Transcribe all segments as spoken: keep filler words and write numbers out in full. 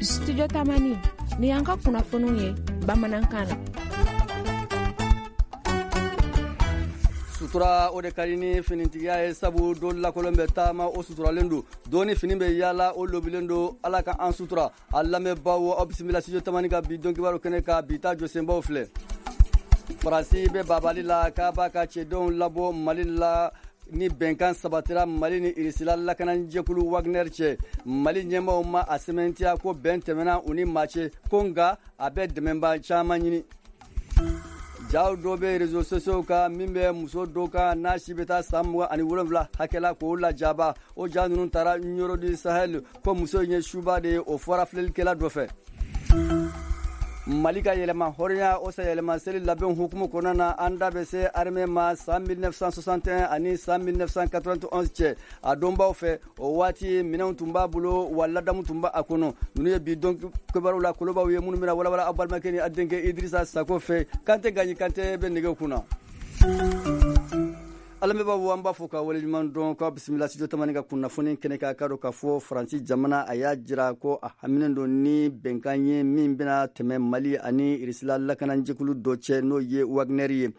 Studio Tamani, ni y'an ka kunnafoniw ye bamanankan na. Sutura o de ka di ni finitigiya ye, sabu don lakolon bɛ taama o suturalen don, don ni fini bɛ yaala o lobilen don. Ala ka an sutura. A lamɛnbaaw, aw bisimila Studio Tamani ka bi don kibaru kɛnɛ kan. Bi ta jɔsenbaw filɛ: Faransi bɛ babali la k'a b'a ka cɛdenw labɔ Mali la ni bɛnkan sabatira Mali ni Irisila lakanajɛkulu Wagner cɛ. Mali ɲɛmaaw ma a sɛmɛntiya ko bɛn tɛmɛna u ni maa cɛ ko, nka a bɛ dɛmɛba caman ɲini. Jaw dɔ bɛ réseaux sociaux kan min bɛ muso dɔ kan n'a si bɛ taa san mugan ani wolonwula hakɛ la k'o lajaba. O ja ninnu taara Nioro du Sahel ko muso in ye suba de ye, o fɔra filɛlikɛla dɔ fɛ. Mali ka yɛlɛma hɔrɔnya o yɛlɛma seli labɛn hukumu kɔnɔna na, an da bɛ se armée ma san mille neuf cent soixante et un ani san mille neuf cent quatre-vingt-onze cɛ. A dɔnbaw fɛ, o waati minɛnw tun b'a bolo wa ladamu tun b'a kɔnɔ. Ninnu ye bi don kibaruw la kolobaw ye minnu bɛna walawala aw balimakɛ ni a denkɛ Idrissa Sako fɛ. Kante Gaɲi Kante bɛ nɛgɛw kunna. Alamɛbaaw, an b'a fɔ ka waleɲuman dɔn k'aw bisimila Studio Tamani ka kunnafoni kɛnɛ kan. K'a dɔn k'a fɔ Faransi jamana a y'a jira ko a haminen don ni bɛnkan ye min bɛna tɛmɛ Mali ani Irisila lakanajɛkulu dɔ cɛ, n'o ye Wagner ye.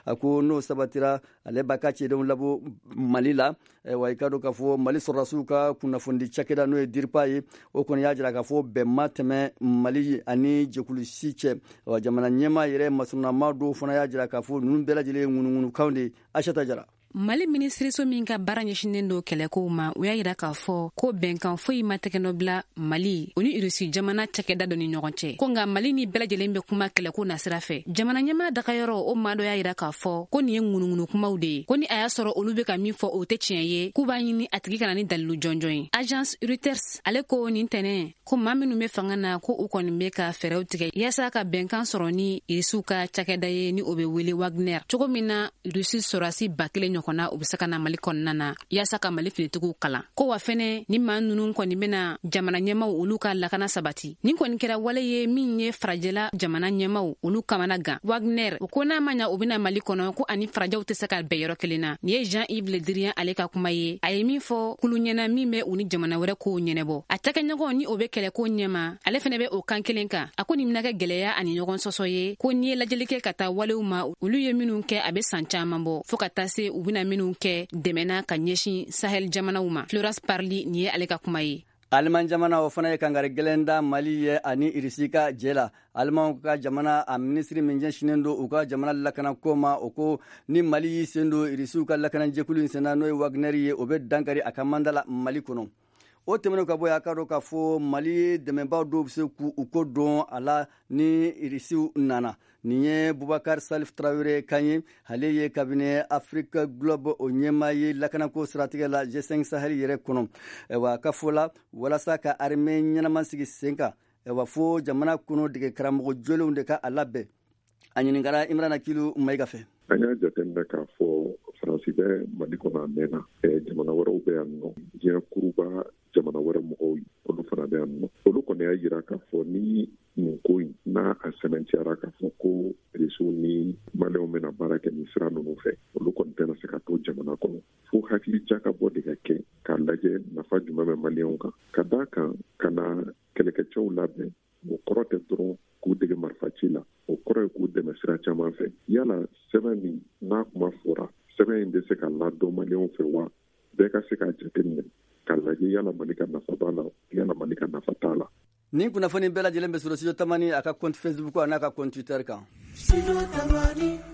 A ko n'o sabatira, ale b'a ka cɛdenw labɔ Mali la. Wa i ka dɔn k'a fɔ Mali sɔrɔdasiw ka kunnafonidi cakɛda, n'o ye DIRPA ye, o kɔni y'a jira k'a fɔ bɛn ma tɛmɛ Mali ani jɛkulu si cɛ. Wa jamana ɲɛmaa yɛrɛ masurunama dɔw fana y'a jira k'a fɔ ninnu bɛɛ lajɛlen ye ŋunuŋunukanw de ye. Aisata Jara. Mali minisiriso min ka baara ɲɛsinen don kɛlɛkow ma, u y'a yira k'a fɔ ko bɛnkan foyi ma tɛgɛnɔ bila Mali o ni Irusi jamana cakɛda dɔ ni ɲɔgɔn cɛ, ko nka Mali ni bɛɛ lajɛlen bɛ kuma kɛlɛko nasira fɛ. Jamana ɲɛmaa dagayɔrɔ o maa dɔ y'a yira k'a fɔ ko nin ye ŋunuŋunu kumaw de ye, ko ni a y'a sɔrɔ olu be ka min fɔ, o tɛ tiɲɛ ye, k'u b'a ɲini a tigi kana ni dalilu jɔnjɔn ye. Agence Reuters ale ko nin tɛnɛ ko maa minnu be fanga na, ko u kɔni be ka fɛɛrɛw tigɛ yaasa ka bɛnkan sɔrɔ ni Irisiw ka cakɛda ye, ni o be wele Wagner, cogo min na Irisi sɔrɔdasi ba kelen ɲɔgɔnna u be se ka na Mali kɔnɔna na yaasa ka Mali finitigiw kalan. Ko wa fɛnɛ ni maa nunu kɔni bena jamana ɲɛmaw olu ka lakana sabati. Nin kɔni kɛra wale ye min ye farajɛla jamana ɲɛmaw olu kamana gan. Wagner o ko n'a ma ɲa u bena Mali kɔnɔ, ko ani farajɛw tɛ se ka bɛn yɔrɔ kelen na. Nin ye Jean Yves Le Drian ale ka kuma ye, a ye min fɔ kulu ɲɛna min bɛ u ni jamana wɛrɛ kow ɲɛnɛbɔ. A cakɛɲɔgɔn ni o be kɛlɛko ɲɛma, ale fɛnɛ bɛ o kan kelen kan. A ko nin bɛna kɛ gwɛlɛya ani ɲɔgɔn sɔsɔ ye, ko n'i ye lajɛli kɛ ka taa walew ma olu ye minnu kɛ a be san caaman bɔ, fɔɔ ka taa se u bena minnu kɛ dɛmɛna ka ɲɛsin Sahel jamanaw ma. Florence Parly, nin ye ale ka kuma ye. Aliman jamana o fana ye kangari gɛlɛn da Mali ye ani Irisi ka jɛ la. Alimanw ka jamana a minisiri min ɲɛsinnen don u ka jamana lakanako ma, o ko ni Mali y'i sen don Irisiw ka lakanajɛkulu in senna, n'o ye Wagner ye, o bɛ dankari a ka mandat la Mali kɔnɔ. O tɛmɛnen ka bɔ yen, a ka dɔn k'a fɔ Mali dɛmɛbaaw dɔw bɛ se k'u ko dɔn a la ni Irisiw nana. Nin ye Bubakar Salif Tarawele kan ye, ale ye cabinet Afrique Globe o ɲɛmaa ye lakanako siratigɛ la G cinq Sahel yɛrɛ kɔnɔ. Wa ka fɔ la, walasa ka armée ɲɛnama sigi sen kan, wa fo jamana kɔnɔ dege karamɔgɔ jolenw de ka a labɛn. A ɲininkara Imrana Kilu Mayiga fɛ. An y'a jateminɛ k'a fɔ Faransi bɛ Mali kɔnɔ a mɛnna. Jamana wɛrɛw bɛ yan nɔ, diɲɛ kuruba jamana wɛrɛ mɔgɔw, olu fana bɛ yan nɔ. Olu kɔni y'a jira k'a fɔ ni nin ko in n'a a sɛmɛntiyara k'a fɔ ko Irisiw ni Maliyɛnw bɛna baara kɛ nin sira ninnu fɛ, olu kɔni tɛna se ka to jamana kɔnɔ, fo hakili jakabɔ de ka kɛ k'a lajɛ nafa jumɛn bɛ Maliyɛnw kan. Ka d'a kan ka na kɛlɛkɛcɛw labɛn, o kɔrɔ tɛ dɔrɔn k'u dege marifaci la, o kɔrɔ ye k'u dɛmɛ sira caman fɛ. Yala sɛbɛn min n'a kuma fɔra, sɛbɛn in bɛ se ka ladɔn Maliyɛnw fɛ wa, bɛɛ ka se k'a jateminɛ k'a lajɛ yala Mali ka nafa b'a la, yala Mali ka nafa t'a la. Nin kunnafoni bɛɛ lajɛlen bɛ sɔrɔ Studio Tamani a ka compte Facebook a n'a ka compte Twitter kan.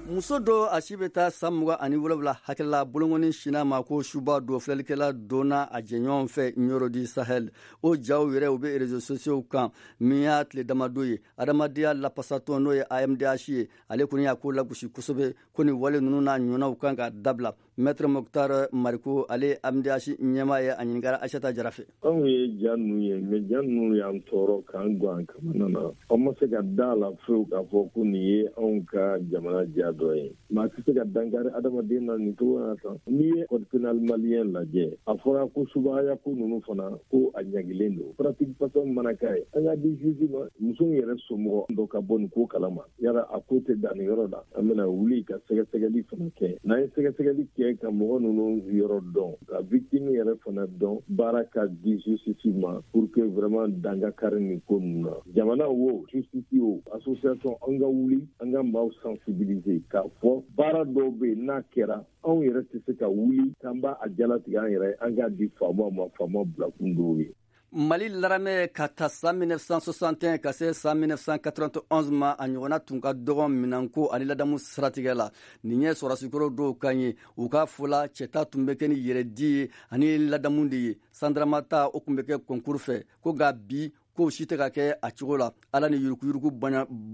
Muso dɔ a si bɛ taa san mugan ani wolonwula hakɛla, bolokɔni sinna ma ko suba don filɛlikɛla donna a jɛɲɔgɔn fɛ Nioro du Sahel. O jaw yɛrɛ u bɛ réseaux sociaux kan min y'a tile damadɔ ye. Adamadenya lapasatɔn, n'o ye A M D H ye, ale kɔni y'a ko lagosi kosɛbɛ ko nin wale ninnu n'a ɲɔgɔnnaw kan ka dabila. Maître Mokhtar Mariko, ale A M D H ɲɛmaa ye, a ɲininkara Aisata Jara fɛ. Anw ye ja ninnu ye, mais ja ninnu y'an tɔɔrɔ k'an gan kamana na. An ma se ka da la fewu k'a fɔ ko nin ye anw ka jamana ja dɔ ye. Maa tɛ se ka dankari adamaden na nin cogo na tan. N'i ye code pénal malien lajɛ, a fɔra ko subahaya ko ninnu fana ko a ɲagilen don. Pratique façon mana k'a ye, an k'a di juge ma. Muso in yɛrɛ somɔgɔ dɔ ka bɔ nin ko kalama. Yala a ko tɛ dan nin yɔrɔ la, an bɛna wuli ka sɛgɛsɛgɛli fana kɛ. N'an ye sɛgɛsɛgɛli kɛ kɛ ka mɔgɔ ninnu yɔrɔ dɔn, ka victime yɛrɛ fana dɔn, baara ka di justice ma pour que vraiment dan ka kari nin ko ninnu na. Jamana wo, justice o, association, an ka wuli, an ka maaw sensibiliser k'a fɔ baara dɔw bɛ yen n'a kɛra anw yɛrɛ tɛ se ka wuli k'an b'a a jalatigɛ an yɛrɛ, an k'a di faamaw ma, faamaw bilakun dɔw ye. Mali laramɛ ka ta san mille neuf cent soixante et un ka se san mille neuf cent quatre-vingt-onze ma, a ɲɔgɔnna tun ka dɔgɔ minɛnko ani ladamu siratigɛ la. Nin ye sɔrɔdasikɔrɔ dɔw kan ye, u ka fɔ la cɛta tun bɛ kɛ ni yɛrɛdi ye ani ladamu de ye. Sandaramata o tun bɛ kɛ concours fɛ, ko nka bi k'o si tɛ ka kɛ a cogo la. Ala ni yuruguyurugu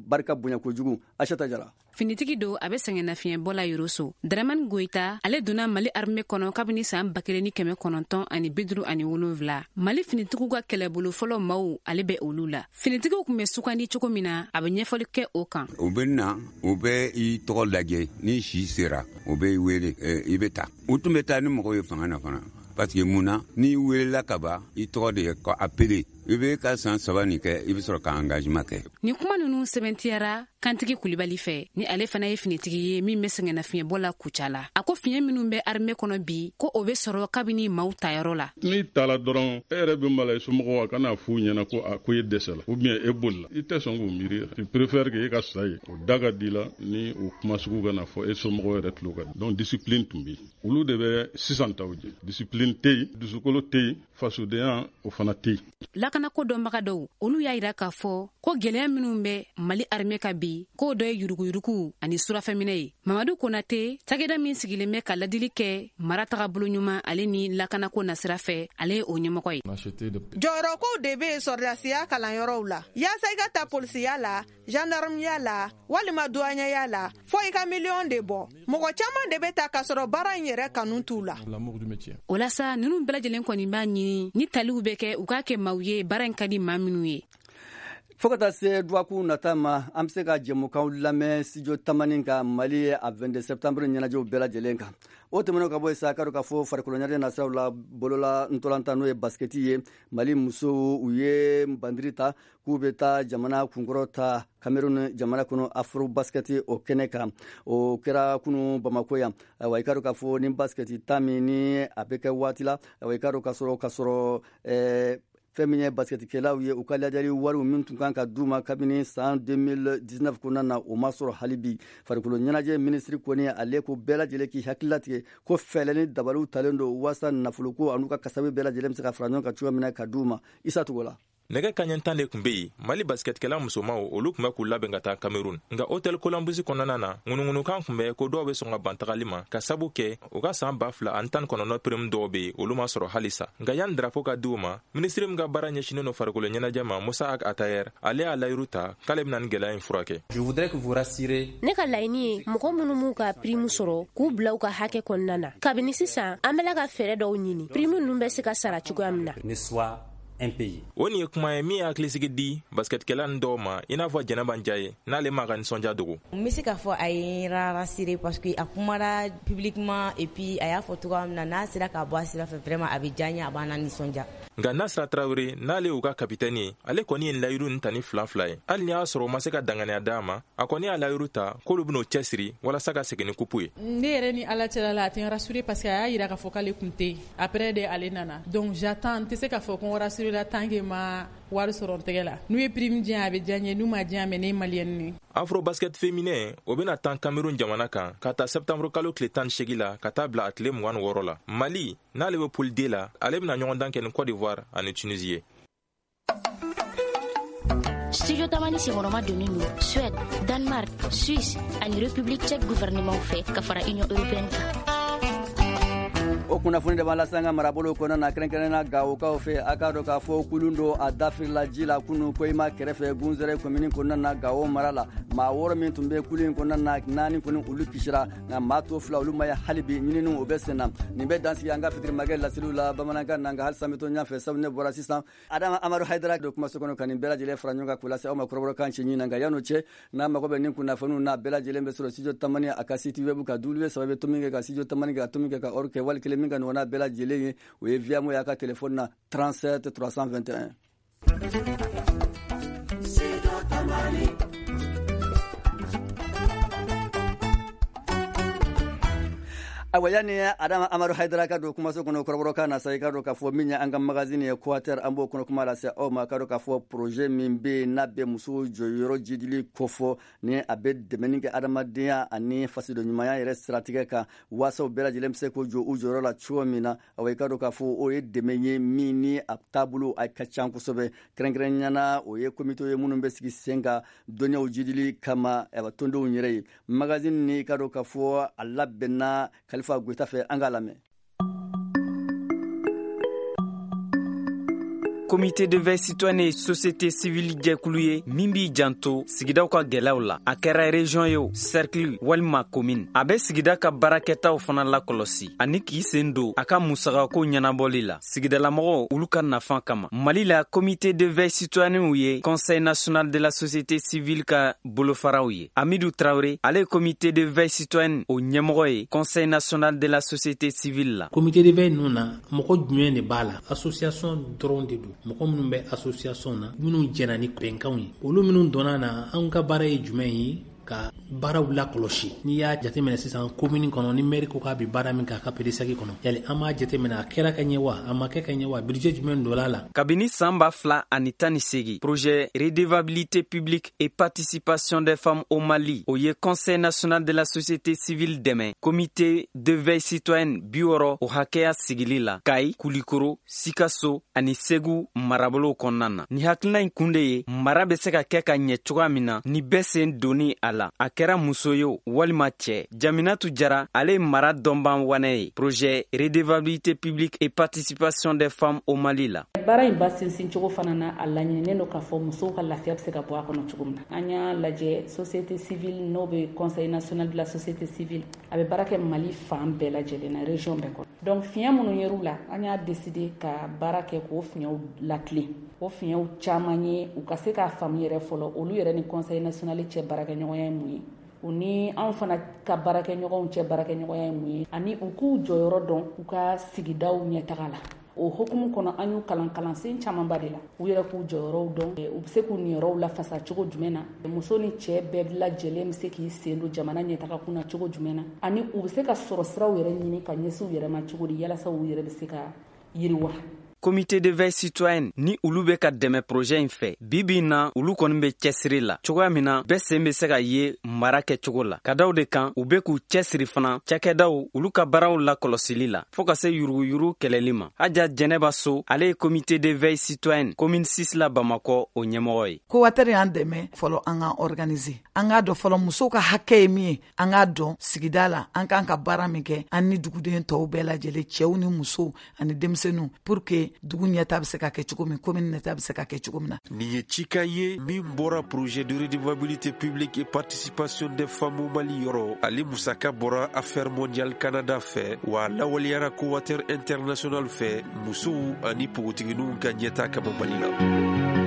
barika bonya kojugu. Aisata Jara. Finitigi don, a bɛ sɛgɛnnafiɲɛbɔ la Yoroso. Dramani Goyita, ale donna Mali armée kɔnɔ kabini san ba kelen ni kɛmɛ kɔnɔntɔn ani bi duuru ani wolonwula. Mali finitigiw ka kɛlɛbolo fɔlɔ maaw, ale bɛ olu la. Finitigiw tun bɛ sugandi cogo min na, a bɛ ɲɛfɔli kɛ o kan. U bɛ na, u bɛ i tɔgɔ lajɛ, ni si sera, u bɛ i wele, i bɛ taa. U tun bɛ taa ni mɔgɔw ye fanga na fana. Parce que mun na, n'i welela ka ban, i tɔgɔ de ye ko appelé. I bɛ ka san saba nin kɛ, i bɛ sɔrɔ ka engagement kɛ. Nin kuma ninnu sɛbɛntiyara Kantigi Kulibali fɛ, ni ale fana ye finitigi ye min bɛ sɛgɛnnafiɲɛbɔ la Kucala. A ko fiɲɛ minnu bɛ armée kɔnɔ bi, ko o bɛ sɔrɔ kabini maaw tayɔrɔ la. N'i taara dɔrɔn, e yɛrɛ bɛ maloya somɔgɔw a kana f'u ɲɛna ko a ko e dɛsɛla ou bien e bolila. I tɛ sɔn k'o miiri. Tu préfères que e ka sa yen. O da ka di la ni o kuma sugu kana fɔ e somɔgɔw yɛrɛ tulo kan. Donc discipline tun bɛ yen. Olu de bɛ sisan taw jɛ. Discipline tɛ yen, dusukolo tɛ yen, fasodenya o fana tɛ yen. Lakanako dɔnbaga dɔw, olu y'a yira k'a fɔ ko gɛlɛya minnu bɛ Mali armée ka bi, k'o dɔ ye yuruguyurugu ani surafɛminɛ ye. Mamadu Konate, cakɛda min sigilen bɛ ka ladili kɛ mara tagabolo ɲuman ale ni lakanako nasira fɛ, ale ye o ɲɛmɔgɔ ye. Jɔyɔrɔkow de bɛ yen sɔrɔdasiya kalanyɔrɔw la, yaasa i ka ta polisiya la, gendarmeya la, walima douaniya la, fo i ka miliyɔn de bɔ. Mɔgɔ caman de bɛ ta k'a sɔrɔ baara in yɛrɛ kanu t'u la. O la sa, ninnu bɛɛ lajɛlen kɔni b'a ɲini ni taliw bɛ kɛ, u k'a kɛ maaw ye baara in ka di maa minnu ye. Fo ka taa se dɔgɔkun nata ma, an bɛ se ka jɛmukanw lamɛn studio Tamani ka Mali a vingt-deux septembre ɲɛnajɛw bɛɛ lajɛlen kan. O tɛmɛnen ka bɔ yen sa, k'a dɔn k'a fɔ farikolo ɲɛnajɛ nasiraw la, bolola ntolantan n'o ye basikɛti ye, Mali musow u ye bandiri ta k'u bɛ taa jamana kunkɔrɔ ta Cameroun jamana kɔnɔ afro basikɛti o kɛnɛ kan. O kɛra kunu Bamako yan. Ayiwa, i k'a dɔn k'a fɔ ni basikɛti ta min ni a bɛ kɛ waati la, ayiwa i k'a dɔn k'a sɔrɔ k'a sɔrɔ ɛɛ fɛn min ye basikɛtikɛlaw ye, u ka lajɛli wariw min tun kan ka d'u ma kabini san deux mille dix-neuf kɔnɔna na, o ma sɔrɔ hali bi. Farikolo ɲɛnajɛ minisiri kɔni ale ko bɛɛ lajɛlen k'i hakili latigɛ ko fɛɛrɛ ni dabaliw talen don waasa nafoloko an'u ka kasabi bɛɛ lajɛlen bɛ se ka fara ɲɔgɔn kan cogoya min na ka d'u ma. Isa Togola. Nɛgɛ kaɲɛ tan de tun bɛ yen, Mali basikɛtikɛla musomaw olu tun bɛ k'u labɛn ka taa Cameroun. Nka hôtel Columbus kɔnɔna na, ŋunuŋunukan tun bɛ ko dɔw bɛ sɔn ka ban tagali ma, ka sabu kɛ u ka san ba fila ani tan kɔnɔntɔn prime dɔw bɛ yen, olu ma sɔrɔ halisa. Nka yanni drapeau ka di u ma, minisiri min ka baara ɲɛsinnen don farikolo ɲɛnajɛ ma, Musa Ag Atayer, ale y'a layiru ta k'ale bɛna nin gɛlɛya in furakɛ. Ne ka laɲini ye mɔgɔ minnu m'u ka prime sɔrɔ k'u bila u ka hakɛ kɔnɔna na. Kabini sisan, an bɛ ka fɛɛrɛ dɔw ɲini, prime ninnu bɛ se ka sara cogoya min na. O nin ye kuma ye min ye hakilisigi di basikɛtikɛla nin dɔw ma, i n'a fɔ Jɛnɛba Njaye, n'ale m'a ka nisɔndiya dogo. N bɛ se k'a fɔ a ye n rassuré parce que a kumara publiquement et puis a y'a fɔ cogoya min na, n'a sera k'a bɔ a sira fɛ vraiment a bɛ diya n ye, a b'an na nisɔndiya. Nka Nasira Tarawele, n'ale y'u ka kapitɛni ye, ale kɔni ye layiru nin ta ni fila fila ye. Hali n'i y'a sɔrɔ o ma se ka danganiya d'a ma, a kɔni y'a layiru ta k'olu bɛn'o cɛsiri walasa ka segin ni kupu ye. Ne yɛrɛ ni Ala cɛla la, a tɛ n rassuré parce que a y'a yira k'a fɔ k'ale tun tɛ yen. Après de ale nana. Donc j'attends, n tɛ se k'a fɔ ko n rassuré la tant que ma wari sɔrɔ n tɛgɛ la. N'u ye prime di yan, a bɛ diya n ye, n'u ma di yan, mais ne ye maliyɛn ye. Afro basket féminin o bɛna tan Cameroun jamana kan ka taa septembre kalo tile tan ni seegin la ka taa bila a tile mugan ni wɔɔrɔ la. Mali n'ale bɛ poule D la, ale bɛna ɲɔgɔndan kɛ ni Côte d'Ivoire ani Tunisie ye. Studio Tamani senkɔrɔma donnen don Suède, Danemark, Suisse ani République tchèque gouvernement fɛ ka fara Union européenne kan. O kunnafoni de b'an lase an ka marabolo kɔnɔna na, kɛrɛnkɛrɛnnenya Gawokaw fɛ. A k'a dɔn k'a fɔ kulun don a dafirila ji la kunu Koyima kɛrɛfɛ Gunzɛrɛ komini kɔnɔna na Gawo mara la. Maa wɔɔrɔ min tun bɛ kulun in kɔnɔna na, naani kɔni olu kisira, nka maa to fila olu ma ye hali bi, ɲininiw o bɛ sen na. Nin bɛ dansigi an ka fitirimakɛ laseliw la bamanankan na, nka halisa n bɛ to ɲɛfɛ sabu ne bɔra sisan. Adama Amadu Hayidara don kumaso kɔnɔ ka nin bɛɛ lajɛlen fara ɲɔgɔn kan k'o lase aw ma kɔrɔbɔrɔkan cɛɲi na. Nka yan'o cɛ, n'a mago bɛ nin kunnafoniw n'a bɛɛ lajɛlen bɛ sɔrɔ studio Tamani a ka site web kan w saba tomi kɛ ka studio Tamani kɛ ka tomi kɛ ka or kɛ wali kelen min ka ɲɔgɔnna bɛɛ lajɛlen ye, o ye Viamo y'a ka telefɔni na trente-sept trois cent vingt et un. Ayiwa, yanni Adama Amadu Hayidara ka don kumaso kɔnɔ kɔrɔbɔrɔkan na sa, i ka dɔn k'a fɔ min ye an ka magazine ye Coater, an b'o kɔnɔ kuma lase aw ma. Ka dɔn k'a fɔ projet min bɛ yen n'a bɛ musow jɔyɔrɔ jidili kofɔ, ni a bɛ dɛmɛni kɛ adamadenya ani fasoden ɲumanya yɛrɛ siratigɛ kan, waasa u bɛɛ lajɛlen bɛ se k'u jɔ u jɔyɔrɔ la cogo min na. Awa, i ka dɔn k'a fɔ o ye dɛmɛ ye min ni a taabolo a ka ca kosɛbɛ. Kɛrɛnkɛrɛnnenya na, o ye komite ye minnu bɛ sigi sen kan dɔnniyaw jidili kama, ayiwa, tɔndenw yɛrɛ ye. Magazine ni, i ka dɔn k'a fɔ a labɛnna Kalifa Goyita fɛ, an k'a lamɛn. Comité de veille citoyenne ye société civile jɛkulu ye min b'i janto sigidaw ka gwɛlɛyaw la. A kɛra région ye o, cercle walima commune, a bɛ sigida ka baarakɛtaw fana lakɔlɔsi ani k'i sen don a ka musakako ɲɛnabɔli la sigidalamɔgɔw olu ka nafa kama. Mali la, comité de veille citoyennew ye Conseil national de la société civile ka bolofaraw ye. Amidu Traoré, ale ye comité de veille citoyenne o ɲɛmɔgɔ ye Conseil national de la société civile la. Comité de veille ninnu na, mɔgɔ jumɛn de b'a la? Association dɔrɔn de don. Mɔgɔ minnu bɛ association na, minnu jɛna ni bɛnkanw ye, olu minnu donna na, anw ka baara ye jumɛn ye? Ka baaraw lakɔlɔsi. N'i y'a jateminɛ sisan, commune kɔnɔ, ni maire ko k'a bɛ baara min kɛ a ka P D S A C kɔnɔ, yali an b'a jateminɛ a kɛra ka ɲɛ wa, a ma kɛ ka ɲɛ wa, budget jumɛn donna la. Kabini san ba fila ani tan ni segi, projet redevabilité publique et participation des femmes au Mali, o ye Conseil national de la société civile dɛmɛ comité de veille citoyenne bi wɔrɔ o hakɛya sigili la Kayi, Kulikoro, Sikaso ani Segu marabolow kɔnɔna na. Ni hakilina in kun de ye mara bɛ se ka kɛ ka ɲɛ cogoya min na ni bɛɛ sen donni a la, a kɛra muso ye o walima cɛ. Jaminatu Jara, ale ye mara dɔnban wanɛ ye projet redevabilité publique et participation des femmes au Mali la. Baara in ba sinsin cogo fana na, a laɲininen don k'a fɔ musow ka lafiya bɛ se ka bɔ a kɔnɔ cogo min na. An y'a lajɛ, société civile n'o bɛ Conseil national de la société civile, a bɛ baara kɛ Mali fan bɛɛ lajɛlen na, région bɛɛ kɔnɔ. Donc fiɲɛ minnu yer'u la, an y'a décidé ka baara kɛ k'o fiɲɛw latilen. O fiɲɛw caman ye u ka se k'a faamu yɛrɛ fɔlɔ, olu yɛrɛ ni Conseil national cɛ baarakɛɲɔgɔnya ye mun ye, u ni anw fana ka baarakɛɲɔgɔnw cɛ baarakɛɲɔgɔnya ye mun ye, ani u k'u jɔyɔrɔ dɔn u ka sigidaw ɲɛtaga la. O hokumu kɔnɔ, an y'u kalan kalansen camanba de la, u yɛrɛ k'u jɔyɔrɔw dɔn, u bɛ se k'u niyɔrɔw lafasa cogo jumɛn na, muso ni cɛ bɛɛ lajɛlen bɛ se k'i sen don jamana ɲɛtaga kun na cogo jumɛn na, ani u bɛ se ka sɔrɔ siraw yɛrɛ ɲini ka ɲɛsin u yɛrɛ ma cogo di, yalasa u yɛrɛ bɛ se ka yiriwa. Comité de veille citoyenne ni olu bɛ ka dɛmɛ projet in fɛ bi bi in na, olu kɔni bɛ cɛsiri la cogoya min na bɛɛ sen bɛ se ka ye mara kɛcogo la ka daw de kan. U bɛ k'u cɛsiri fana cakɛdaw olu ka baaraw lakɔlɔsili la fɔɔ ka se yuruguyurugu kɛlɛli ma. Haja Jɛnɛba So, ale ye comité de veille citoyenne commune six la Bamakɔ o ɲɛmɔgɔ ye. Coater y'an dɛmɛ fɔlɔ an k'an organiser, an k'a dɔn fɔlɔ musow ka hakɛ ye min ye, an k'a dɔn sigida la an k'an ka baara min kɛ, an ni duguden tɔw bɛɛ lajɛlen, cɛw ni musow ani denmisɛnninw, pour que dugu ɲɛta bɛ se ka kɛ cogo min, commune ɲɛta bɛ se ka kɛ cogo min na. Nin ye cikan ye min bɔra projet de redevabilité publique et participation des femmes au Mali yɔrɔ. Ale musaka bɔra Affaire mondiale Canada fɛ, wa lawaleyara Coater International fɛ, musow ani npogotigininw ka ɲɛta kama Mali la.